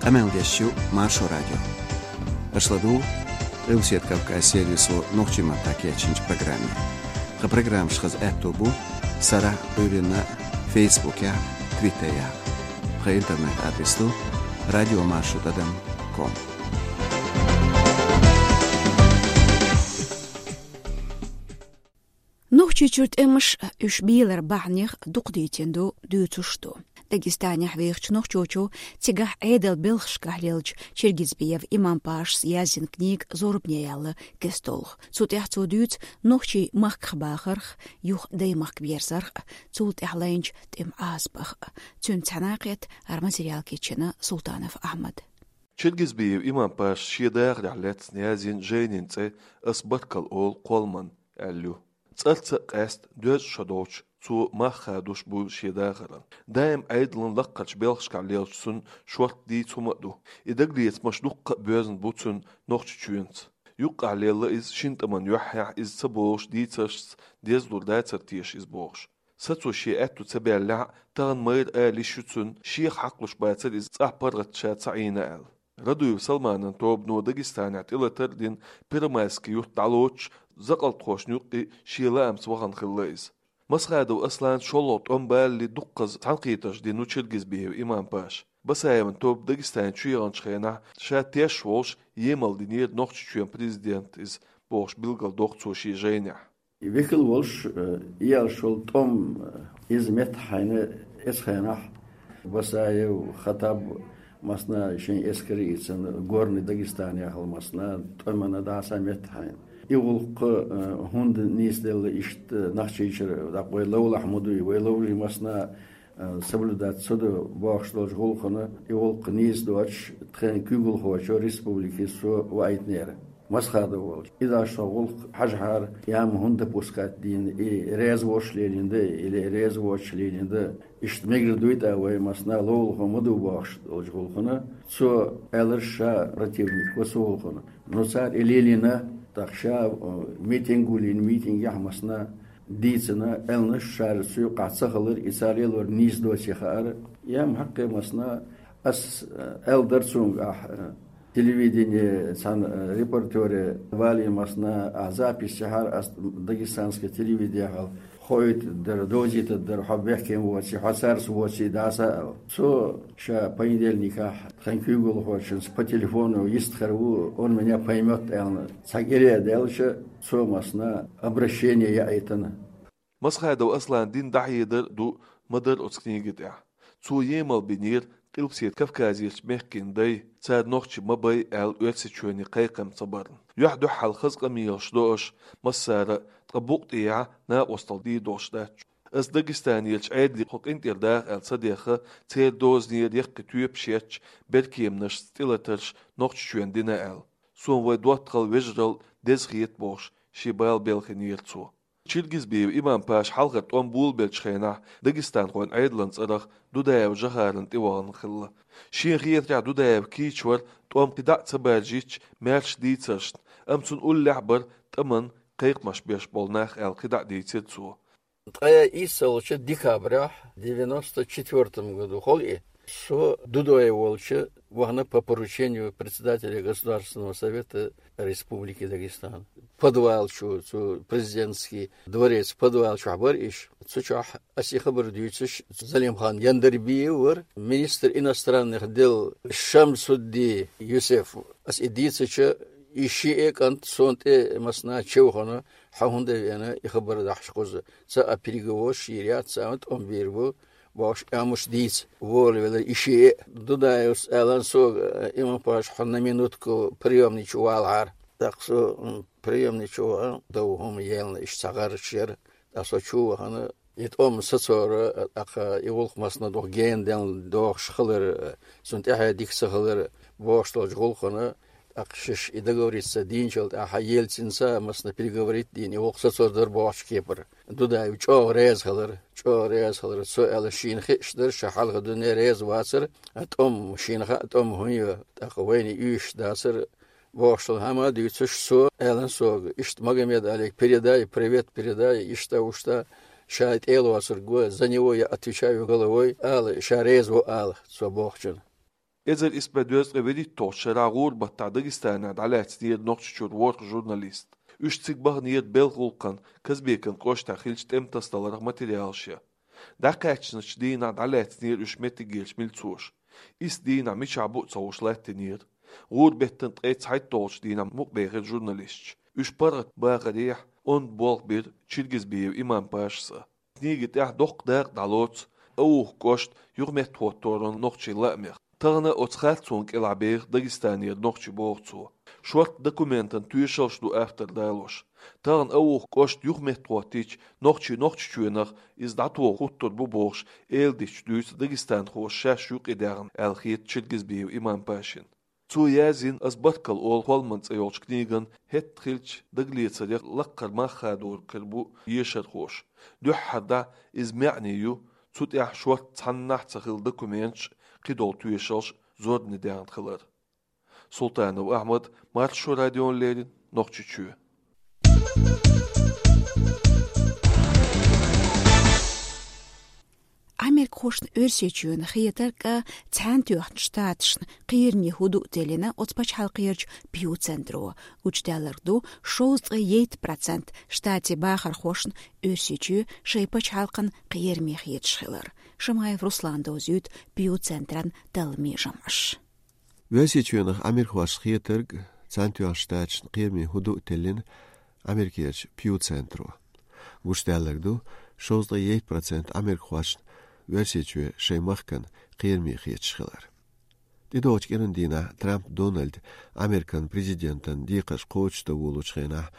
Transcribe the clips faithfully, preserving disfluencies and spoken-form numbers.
Къамел деш ю Маршо радио. Аша ладугӀу Къилбаседа Кавказ сервисо нохчийн маттахь кечйинчу программе. Тхан программаш хаза аьтто бу сарахь, Ӏуьйранна, Фейсбукехь, Твиттерехь. Тхан интернет-адрес ду радиомаршо тӀадам ком. Нохчийчуьра тӀемаш, уьш беларан бахьанех дукха дийцина ду, дуьйцуш а ду. Дагестанехь вехачу нохчочо цигахь Ӏедалан белхашкахь леллачу Чингизбиев Имам-Пашас яздина книга зорбане яьлла кеста долу. Цу тӀехь цо дуьйцу нохчий махках бахарх, юха даймахка верзарх, цул тӀаьхьа лайначу тӀеман Ӏазапах. Цуьнца цхьаьна кхетта хӀара материал кечйина Султанов Ахьмада. Чингизбиев Имам-Паша шен дахарехь лаьцна яздина жайнин цӀе «Ас баркалла олу кхолламан» аьлла ю. ЦӀарца а къаьста, доьзна шо долчу цо мах хадош буьйлу шен дахаран. Даим Ӏедалан лаккхарчу белхашкахь леллачу цуьнан шортта дийца хӀума а ду. И дагалецамаш дуккха а боьзна бу цуьнан Нохчийчоьнца. Юккъехь лелла иза шина тӀаман юьххьехь, иза ца болуш дийцаршца дезалур дацара теша иза бохуш. Сацо шен аьтто ца баьллехь а, тахана майра ала йиш ю цуьнан, шех хьакхалуш бацара иза цӀахь паргӀат ша ца Ӏийна аьлла. Радуев Салманан тобано Дагестанехь тӀелатар а дина, Первомайский юьрт дӀалоцуш, закъалтхошна юккъе шен лаамца вахана хилла иза. Масхадов Аслан шолгӀа тӀом балале дуккхаза цхьаьнакхетарш дина ву Чингизбиев Имам-Паша. Басаевн тоба Дагестан чу яханчу хенахь ша теш волуш емал динера Нохчийчоьнан президент иза бохуш билгалдоккху цо шен жайнехь. Векал волуш, э, иялш волу тӀом, э, иза меттахь хьайна эцу хенахь Басаев, Хаттаб массана шайн эскар а ийцина, Горный Дагестан яхала массана тӀемана дӀаса меттахь хьайна. И гӀуллакх, э, хӀунда нийса делла иштта Нохчийчуьра, дӀа вай ловлахь ма дуй, вай ловзий массана а, соблюдать ца до бохуш долчу гӀуллакхана, и гӀуллакх нийса доцуш, тхайн куьйгалхочо республике со ваийтинера. Масхадов волчу. И даш со гӀуллакх хьажахьара, я ма хӀунда допускать дийна, и реза воцуш лелийна да, или реза воцуш лелийна да. Иштта мегар дуй тӀа вай массана ловлахо ма ду бохуш долчу гӀуллакхана. Цо аьлларш ша противник ву цу гӀуллакхана. Ну, цара и лелийна, тӀаккха ша, э, митинг ву лийна, митингехь массана дийцина, аьлларш ша цу юккъахь ца хилар, и цара лелор нийса доций хаьара. Я ма хьаккхе массана, ас, э, аьлла дара цуьнга ахь, э, телевидение, цхьана, э, репортере валий массана, ахь запись яхьара ас дагестанское телевидение хьал. Хоуьйтур дара, довзуьйтур дара, хьо бехке воций, хьо цаьрца воций, дӀаса аьлла. Цо ша понедельникехь тхан куьйгалхочуьнца по телефону йистхир ву, он меня поймёт аьлла. Цхьа кӀира а даьлча, цо массана обращение яийтина. Масхадов Аслан дин дӀахьедар а ду, ма-дарра оцу книги тӀехь. Цо емал бинера Къилбаседа Кавказерчу мехкийн дай, цара нохчий ма бай аьлла Оьрсийчоьне кхайкхам ца барна. Юьхь-дуьхьал хаза къамелаш до аша массара а, ткъа букъ тӀехьа накъосталла дийр долуш дац. Ас Дагестанерчу Ӏедале кху къинтӀера даха аьлла ца дехха, церан дозанера яккхий тоьпаш етташ, беркеманашца тӀелатарш Нохчийчоьнна дина аьлла. Суна вай доттагӀал, вежарал деза хета бохуш, шен бала белхийнера цо. Чингизбиев Имам-Паша хьалхара тӀом болабеллачу хенахь дагестанхойн Ӏедалан цӀарах Дудаев Жохарна тӀевахана хилла. Шена хетарехь, Дудаев кийча вара тӀом кхидӀа а ца баржийча, маьрша дийцаршна, амма цунна уллехь а бара тӀаман кхайкхамаш беш болу нах аьлла кхидӀа а дийцира цо. Ткъе иссалгӀачу декабрехь девяносто четвёртом году, хала и, со Дудаев волчу вахана по поручению председателя Государственного совета Республики Дагестан. Подвал чу, цу президентский дворец подвал чохь бара иш. Цу чохь ас и хабар дуьйцуш, Залимхан Яндарбиев вара, министр иностранных дел Шамсудди Юсеф. Ас и дийцича, и шиъ а кӀант суна тӀе массана чевхана, хьо хӀунда а веана, и хабар дахьаш кхуза. Ца а переговораш йийр яц, ца а тӀом бийр бу, бохуш, амуш дийца, волавелира и шиъ а. Дудаевс аьлла сога, Имам-Паша, хьо на минутку приёмный чу валахьара. ТӀаккха со, м, приёмный чу вахана, дов хӀума елна, иштта цхьа гӀараш яра. ТӀаккха со чу вахана, и тӀом сацора, тӀаккха и гӀуллакх массана дукха гена денна догӀуш хилар, цунна тӀаьхье дика ца хилар, бохуш долчу гӀуллакхана, тӀаккха шаьш и договориться дийначул тӀаьхьа Ельцинца массана переговорить дийна, и гӀуллакх сацор дара бохучу кепара. Дудаев чӀогӀа реза хилар, чӀогӀа реза хилар. Цо аьлла, шена хиъаш дара, ша хьалха дуьне реза вацара, тӀом шена хаьа, тӀом хӀун ю, тӀаккха вайна уьйш дацара, бохуш долу хӀума дуьйцуш, цо аьлла сога, иштта Магомед-Алига передай, привет передай, иштта, уьшта, ша тӀе а лоцург ву, за него я отвечаю головой, ала, ша реза ву ала, цо бохучунна. Эзар исс бӀе дезткъе вуьрхӀитталгӀачу шарахь гӀуран баттахь Дагестанера дӀалаьцнера Нохчийчуьра ворхӀ журналист. Уьш цига бахнера Белхагулкхан Казбекан кӀоштахь хиллачу тӀематасадаларх материалаш ян. ДӀакхаьчначу дийнахь дӀалаьцнера уьш меттигерчу милцоша. Исс дийнахь мичахь бу а ца хууш латтийнера. ГӀуран беттан ткъе цхьайтталгӀачу дийнахь мукъабаьхира журналисташ. Уьш паргӀатбахарехь онда болх бира Чиргизбиев Имам-Пашас а. Книги тӀехь доккха дакъа дӀалоцу Ауха кӀошт юхаметтахӀотторан нохчийн лаамех. Тахана оцу харцонна кӀелахь беха Дагестанера нохчий, боху цо. Шортта документан тоьшаллаш ду автор далош. Тахана Ауха кӀошт юхаметтахӀоттийча, нохчий Нохчийчоьнах иза дӀатоха хӀуттур бу бохуш, эладиташ дуьйцу дагестанхоша шаьш юкъадаьхна аьлла хета Чиргизбиев Имам-Пашина. Цо яздина «Ас баркалла олу холман» цӀе йолчу книган хӀетта хиллачу дагалецарех лаккхара мах хадор хир бу ешархоша. Дуьххьара дӀа иза маьӀне ю, цу тӀехь шортта цхьаннахьа ца хилла документаш, кхидолу тоьшаллаш зорбане даьхна хилар. Султанов Ахьмад, Маршо радиона леррина, Нохчийчоь. Америкахошна Оьрсийчоьнан хетарг а, Цхьаьнатоьхначу Штаташна кхераме хӀу ду а тиллина оцу пачхьалкхерчу Пью-центро. Гучудаьлларг ду, шовзткъе ейтта процент штатийн бахархошна Оьрсийчоь шайн пачхьалкхана кхераме хеташ хилар. Шамаев Руслана дозуьйту Пью-центран талламийн жамӀаш. Оьрсийчоьнах америкахошна хетарг, Цхьаьнатоьхначу Штаташна кхераме хӀу ду а тиллина Америкерчу Пью-центро. Гучудаьлларг ду, шовзткъе ейтта процент америкахошна Оьрсийчоь шайн махкана кхераме хеташ хилар. ТӀедогӀучу кӀиран дийнахь Трамп Дональд Американ президентан декхарш кхочушдан волучу хенахь,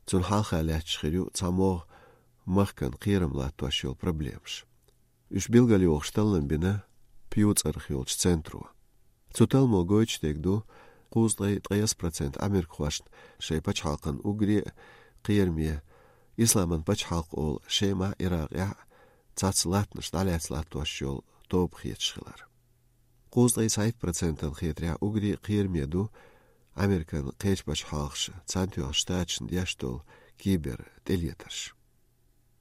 цунна хьалха лаьтташ хир ю цхьа могӀа махкана кхерам латтош йолу проблемаш. Уьш билгалйохуш таллам бина Пью цӀарах йолчу центро. Цу талламо гойтуш дерг ду, кхузткъе ткъайесна процент америкахошна шайн пачхьалкхана уггаре а кхераме, Исламан пачхьалкх олу Шемахь, Иракъехь а цхьацца латтанаш дӀалаьцна латтош йолу тоба хеташ хилар. Кхузткъе цхьайтта процентан хетарехь уггаре а кхераме ду Американ кхечу пачхьалкхаша Цхьаьнатоьхначу Штаташна деш долу кибер тӀелетарш.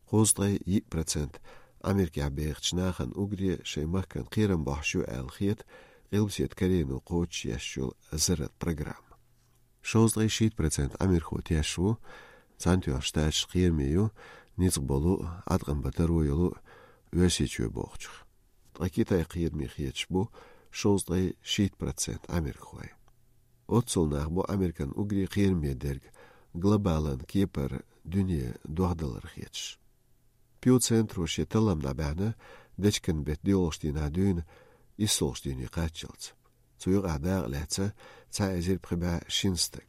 Кхузткъе йиъ процент Америкехь бехачу нахана уггаре шайн махкана кхерам бохьуш ю аьлла хета Къилбаседа Корейно кхочушъеш йолу заррат программа. Шовзткъе шийтта процент америкахо тешна ву, Цхьаьнатоьхначу Штаташ кхераме ю ницкъ болу а, Ӏаткъам бан таро йолу а Оьрсийчоь бохучух. Ткъа Китай кхераме хеташ бу шовзткъе шийтта процент америкахой. Оццул нах бу Американ уггаре кхераме дерг глобалан кепара дуьне дуьхьалдалар хеташ. Пью центро шен таллам дӀабаьхьна дечкен беттан доьалгӀачу дийнахь дуьйна иссолгӀачу дийне кхаччалц. Цу юкъахь дакъа лаьцна цхьа эзар пхи бӀе шина стаг.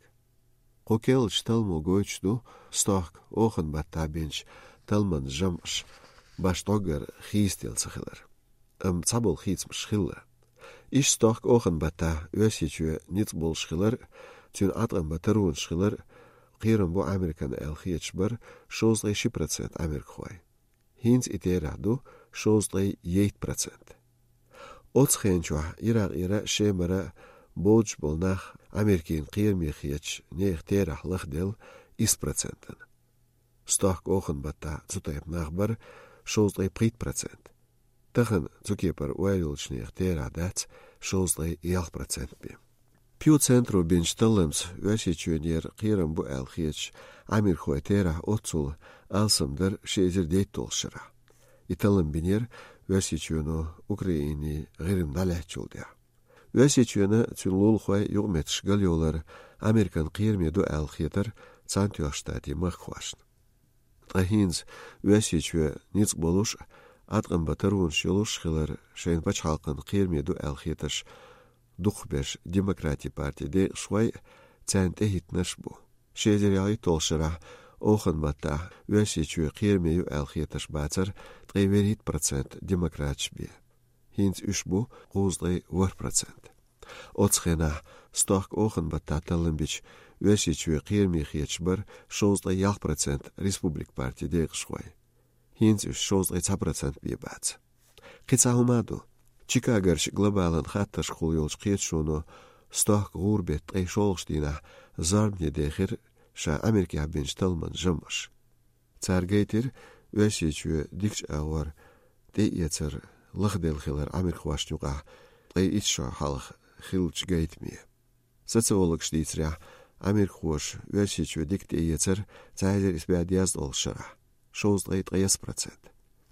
Кху керлачу талламо гойтуш ду, стохка оханан баттахь бинчу талламан жамӀаш башха дӀогара хийцаделла ца хилар. Амма цхьаболу хийцамаш хилла. Иштта стохка оханан баттахь Оьрсийчоь ницкъ болуш хилар а, цуьнан Ӏаткъам бан таронаш хилар а кхерам бу Американа аьлла хеташ бара шовзткъе ши процент америкахой. ХӀинца и терахь ду шовзткъе ейтта процент. Оцу хенчохь Иракъера а, Шемара а боцуш болу нах Америкина кхераме хеташ нехан терахь лахделла исс процентана. Стохка оханан баттахь цу тайпа нах бара шовзткъе пхийтта процент. Тахана цу кепара ойла йолчу нехан терахь дац шовзткъе ялх процент бен. Пью центро бинчу талламца Оьрсийчоьнера кхерам бу аьлла хеташ америкахой терахь оццул алсам дара ши эзар дейтталгӀачу шарахь. И таллам бинера Оьрсийчоьно Украине ГӀирма дӀалаьцначул тӀаьхьа. Оьрсийчоьнан а, цуьнан лулахойн а юкъаметтигаш галйолар Американа кхераме ду аьлла хетара Цхьаьнатоьхначу Штатийн махкахошна. Ткъа хӀинца Оьрсийчоь ницкъ болуш а, Ӏаткъам бан таронаш йолуш а хилар шайн пачхьалкхана кхераме ду аьлла хетарш дукхахберш Демократийн партин декъашхой а, царна тӀехӀиттинарш а бу. Ши эзар ялхитталгӀачу шарахь оханан баттахь Оьрсийчоь кхераме ю аьлла хетарш бацара ткъе вуьрхӀитта процент демократаш бен. ХӀинца уьш бу кхузткъе ворхӀ процент. Оцу хенахь стохка оханан баттахь таллам бича Оьрсийчоь кхераме хеташ бара шовзткъе ялх процент Республикан партин декъашхой. ХӀинца уьш шовзткъе цхьа процент бен бац. Кхин цхьа хӀума а ду. Чикагарчу глобалан хаттаршкахула йолчу кхеташоно стохка гӀуран беттан ткъе шолгӀачу дийнахь зорбане дехира ша Америкехь бинчу талламан жамӀаш. Цара гайтира Оьрсийчоь дикачу агӀор тӀеэцар лахделла хилар америкахошна юкъахь ткъе итт шо хьалха хиллачу гайтаме. Социологаша дийцарехь, америкахоша Оьрсийчоь дика тӀеэцара цхьа эзар исс бӀе дезткъа долчу шарахь, шовзткъе ткъе исс процент.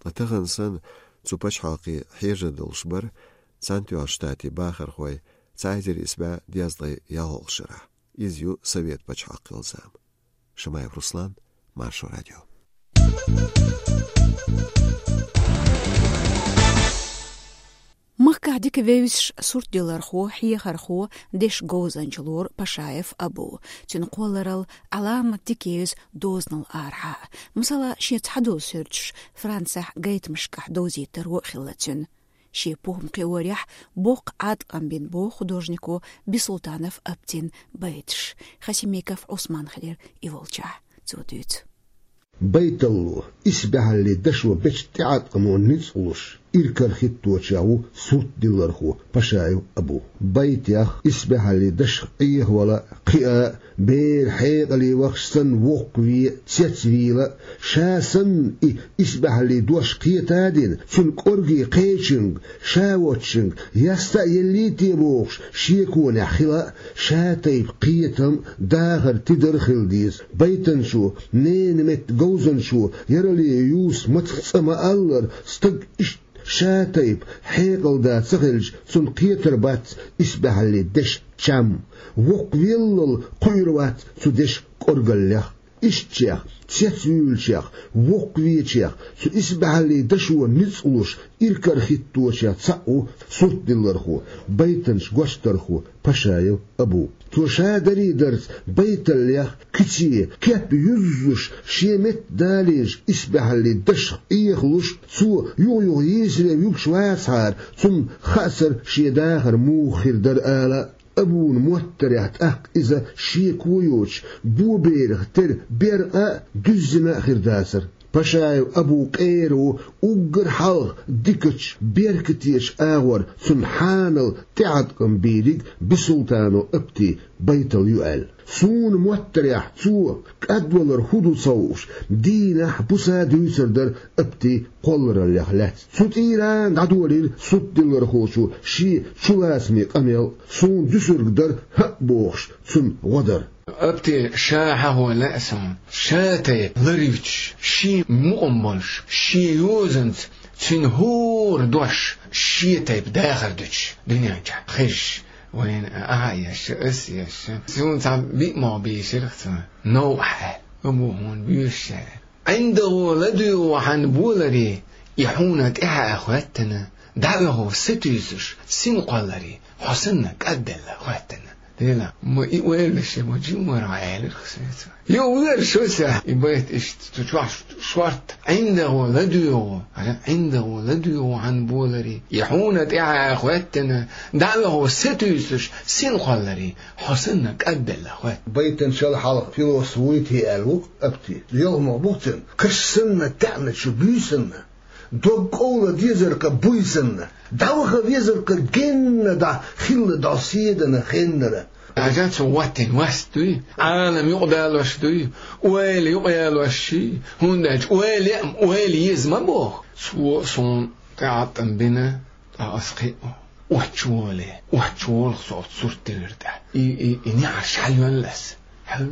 Ткъа тахана санна цу пачхьалкхе хьежар долуш бара Цхьаьнатоьхначу Штатийн бахархой цхьа эзар исс бӀе дезткъе ялхолгӀачу шарахь. Иза ю Совет пачхьалкх хилла зама. Шамаев Руслан, Маршо радио. Махкахь дика вевзаш суртдиллархо, хьехархо, дешан говзанча лора Пашаев Абу. Цуьнан кхолларалла Ӏаламат дика евза дозанал арахьа. Масала, шен цхьадолу суьрташ Францехь гайтамашкахь довзийтаро а хилла цуьнан. Шен похӀма кхиорехь, боккха Ӏаткъам бина боху художнико Бисултанов Аптин байташ. Хасимиков Ӏусман хилира и волчохь. Цо дуьйцу. Байталло, исбаьхьаллин дашо бечу тӀеӀаткъамо ницкъ луш, иракарахӀитточех ву суртдиллархо Пашаев Абу. Байтех, исбаьхьаллин дашах Ӏехавала, кхиа, бер хьекъале вахча санна воккхаве, цецвийла, ша санна и исбаьхьаллин дош кхета а дина, цуьнан кӀорге кхечуьнга, ша воцчуьнга яста а еллий те бохуш, шеконехь хила а, ша тайпа кхетам а, дахар а, тидар а хила деза. Байтанчо, ненан меттан говзанчо, ярале юс мацах цӀа ма-аллара, стаг иштта ша тайпа хьекъалда ца хилча, цунна кхетар бац исбаьхьаллин дешан чам, воккхавеллал кхуьур вац цу дешан кӀоргаллех. Ишттачех, цецвуьйлучех, воккхавечех, цу исбаьхьаллин дашо ницкъ луш, иракарахӀитточех цхьаъ ву суртдиллархо, байтанча гочдархо Пашаев Абу. Цо ша дарий дарца байталлех, куьце, кеп юззуш, шен метта далийначу исбаьхьаллин дашах Ӏехалуш, цо юха-юха йийсаре вуьгуш вацахьара, цунна хаацара шен дахар муха хир дара ала. Абуна моттарехь тӀаккха иза шеко йоцуш, боберах тера беркъа а, дуьззина а хир дацара. Пашаев Абу къера ву уггар хьалха дикачу, беркатечу агӀор, цунна хьанал тӀеӀаткъам бийриг Бисултанов Апти байтал ю аьлла. Суна моттарехь, цо кӀадвалар хӀун ду ца хууш, дийнахь, буса дуьйцур дара Апти кхоллараллех лаьцна. Цу тӀийрана дӀадолийра суртдиллархочо шен чулацаме къамел, суна дуьсург дара хӀаъ бохуш, цунна гӀо дара. Апти ша хьахо лаьа суна, ша тайпа ларвичаш, шен мукъам болуш, шен йозанца цуьнан хӀора дош шен тайпа дахар дуьтуш, дуьнен чохь хезаш, вайна ахьа а еш, аса а еш. Суна цхьа биъ могӀа бийшира цо, новкъахь аьлла, Абу, хьуна боьшуш аьлла. ӀиндагӀо ладуьйгӀу хьан боларе, и хьуна тӀаьхьа а хӀоьттина, дӀаоьху сатуьйсуш синкъолларе, хьо санна кӀадделла хӀоьттина. Дела, ма и ойла ше ма жиммара аьлларх соьца. Йо, вер шо ша, и байт иштта цу чохь шорт, ӀиндагӀо ладуьйгӀу, ара, ӀиндагӀо ладуьйгӀу хьан боларе, и хьуна тӀаьхьа а хӀоьттина, дӀаоьху сатуьйсуш синкъолларе, хьо санна кӀадделла хӀоьттина. Байтанчал хьалха философ вуй те аьлла ву Апти. Йолхамах бу цуьнан, каш санна таьӀначу буьйсанна, дог кӀовла дезаркха буьйсанна, дӀаваха везаркха генна дӀа хилла дӀа седана хеннара. Хьажа цо ваттина васт дуй, Ӏалам юкъадалош дуй, ойла юкъаялош ший, хӀунда аьлча ойла а, ойла еза ма боху. Цо суна тӀеӀаткъам бина, ткъа ас кхиъ, оццу воле, оццу волах со оццу сурт диллира тӀе. И, и, и неӀарш хьайоьллас. Хьал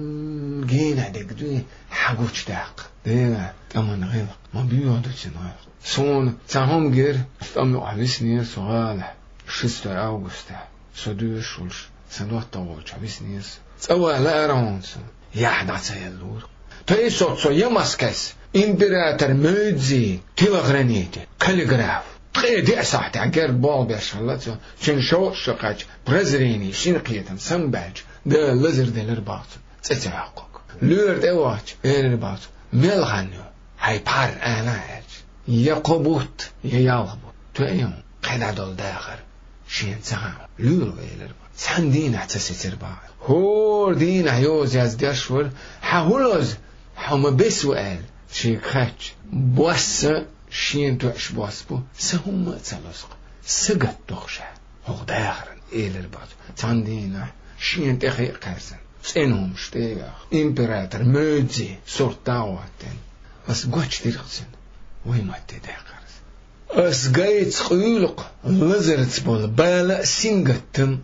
генахь дерг дуй, хьагучудаккха. Дела, тӀаман гӀиллакх, ма буьйгӀа ду цуьнан гӀиллакх. Суна цхьа хӀума гира, тӀам юкъахь виснера со гӀалахь, шестой августехь. Со доьшуш волуш, сан доттагӀа волчохь виснера со. ЦӀа ван лаьара хьуна суна, яхь дӀа ца еллора. Тайсо цо Ямаскас император Мюйцзи телохранитель, каллиграф. Ткъе деа сахьтехь герга болх беш хилла цо, цуьнан шовзткъа шо кхаьчча, прозрение, синкхетам самабаьлча, Дала лазар делира боху цунна, цӀе ца йоккхург. Лоьра тӀе а вахча, элира боху цо: «Мел хан ю хьайн пхьар?» — аьлла аьлча, я кхо бутт, я ялх бутт. Тоьа ю кхидӀа долу дахар шена ца хаьа. Лоьра ву, элира боху. Цхьана дийнахь ца сецира боху. ХӀора дийнахь йоза яздеш вара: «Хьан хӀун лоза? Хьо ма бес ву», — аьлла, шега хаьттича. Босса шена тоьаш бос бу, сан хӀумма а ца лозу-кх, сагатдо-кх ша хӀокху дахаран, элира боху цо. Цхьана дийнахь шена тӀе хи а кхаьрзина, цӀена хӀумаш тӀе а йоьхна, император Мюйцзи сурт дӀа а хӀоттийна, ас гочдира-кх цуьнан, вай матте даьккхира иза. Ас гайца къуьйлу-кх лазарца болу бала а, сингаттам а,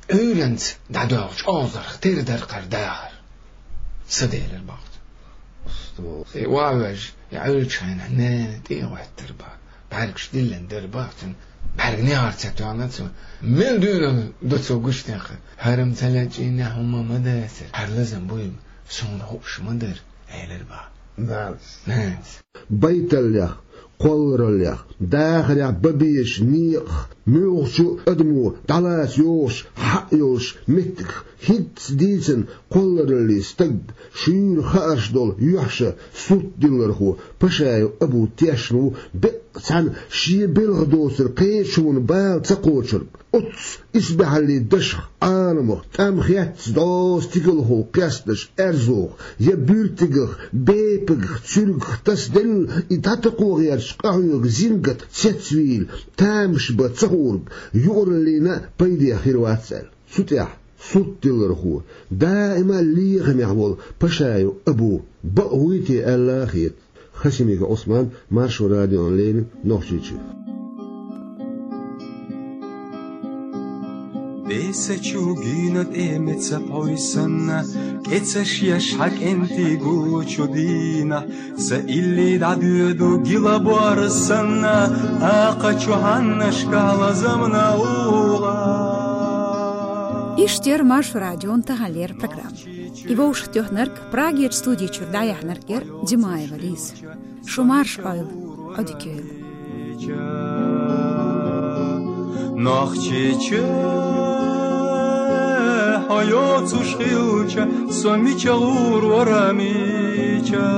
Ӏуьйранца дӀадоьлхучу озарх тера дара кхара дахар. Са делира боху. Э, ван вежа, я Ӏуьллучу хенахь нана тӀе а гӀоьттира боху. БӀаьргаш диллина дара боху цуьнан. БӀаьрг негӀар ца тоьхна цо. Мел дуьйна ду цо гуш тӀехь. ХӀара-м ца лечкъийна хӀума ма дацара. ХӀара лазам буй-м, суна хууш ма дара, элира боху. Нанас. Нанас. Байталлех, кхоллараллех, дахарехь бан безачу некъах, муьлххачу адамо дӀалаца йогӀуш хьаъ йолчу меттигах хӀинцца дийцина кхоллараллин стаг, шуьйра хаарш долу юьхьша суртдиллархо Пашаев Абу тешна ву беккъа цхьаьна шен белхан доцург кхечунна бала ца кхочург. Оццу исбаьхьаллин дашах, Ӏаламах, тӀам хецна дӀо стигалхо кхесташ аьрзух я буьртигах, бепигах, цуьргах тасаделла и дӀатакхо гӀерташ къахьоьгу зингат цецвийла, тамаш бан ца хуург, юкъараллина а пайде хир вац аьлла. Цу тӀехь суртдиллархо, даима лехамехь волу Пашаев Абу бакъ вуй те аьлла хета. Хасимиков Ӏусман, Маршо радиона леррина, Нохчийчоь. Бесачу гуьйна тӀе меца пхьой санна, кӀецаш еш хьан кӀентий гуллучу дийнахь, сан илли дӀадоьду гила бор санна, акхачу хьаннашкахь лазамна угӀа. Иштта яра Маршо радион таханлера программа. И вовшахтоьхнарг, Прагерчу студи чуьра дӀаяьхьнарг яра Димаева Лиза. Шу марша Ӏойла, Ӏодика йойла. Нохчийчоь, хьо йоцуш хилча, со мича гӀур вара мича?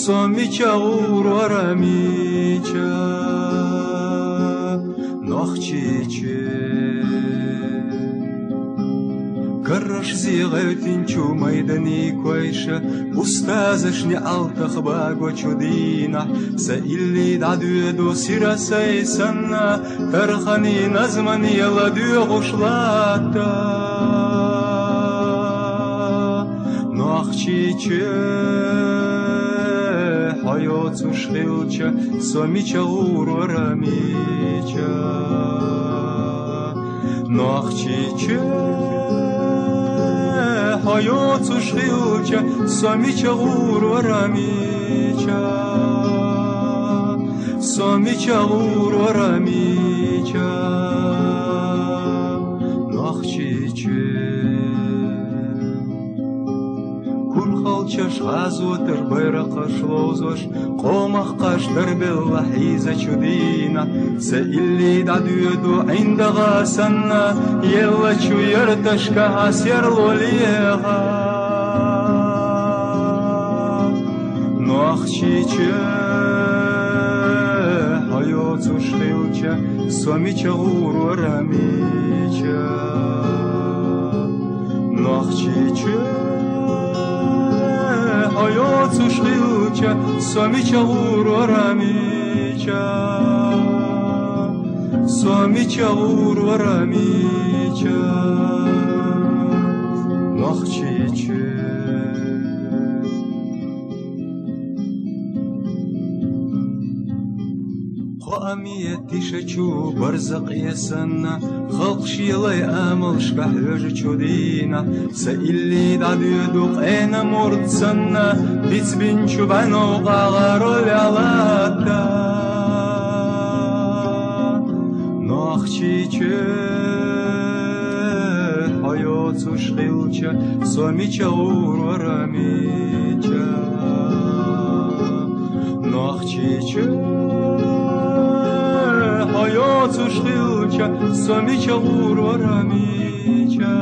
Со мича гӀур вара мича? Нохчийчоь. Каррашзе гӀевттинчу майданийн койша, устазашна алтах багочу дийнахь, сан илли дӀадоьду сира сай санна, тарханийн назмане ладоьгӀуш латта. Нохчийчоь, хьо йоцуш хилча, со мича гӀур вара мича? Нохчийчоь, хьо йоцуш хилча, со мича гӀур вара мича? Со мича гӀур вара мича? Нохчийчоь. Курхалчаш гӀазотар байракхаш ловзош, къомах кхаш дарбелла хьийзачу дийнахь, сан илли дӀадоьду ӀиндагӀа санна, еллачу ярташкахь серло леха. Нохчийчоь, хьо йоцуш хилча, со мича гӀур вара мича? Нохчийчоь, хьо йоцуш хилча, со мича гӀур вара мича? Со мича гӀур вара мича? Нохчийчоь. Кхоаме тишачу барзакъе санна, халкъ шен лай амалшка хьоьжучу дийнахь, сан илли дӀадоьду къена мурд санна, бицбинчу бӀаьнов къагӀаро ваьллатта. Нохчийчоь, хьо йоцуш хилча, со мича гӀур вара мича? Нохчийчоь, хьо йоцуш хилча, со мича гӀур вара мича?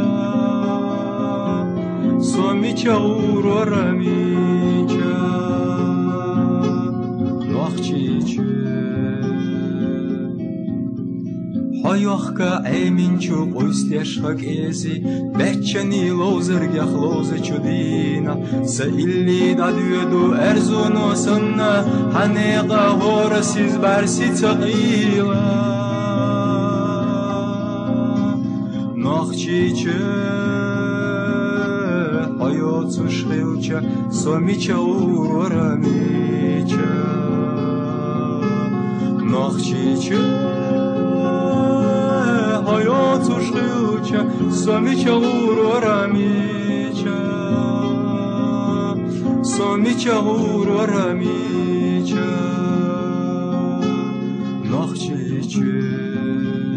Со мича гӀур вара мича? Нохчийчоь. Хьо йохка Ӏеминчу къуьйсу тӀехь кӀезиг, баьччанийн ловзаргех ловзачу дийнахь, сан илли дӀадоьду аьрзуно санна, хьан некъа хӀора сиз бӀаьрси ца къийла. Нохчийчоь, хьо йоцуш хилча, со мича гӀур вара мича? Нохчийчоь, хьо цушхюча, сомича гурурамича, сомича гурурамича, нахчича.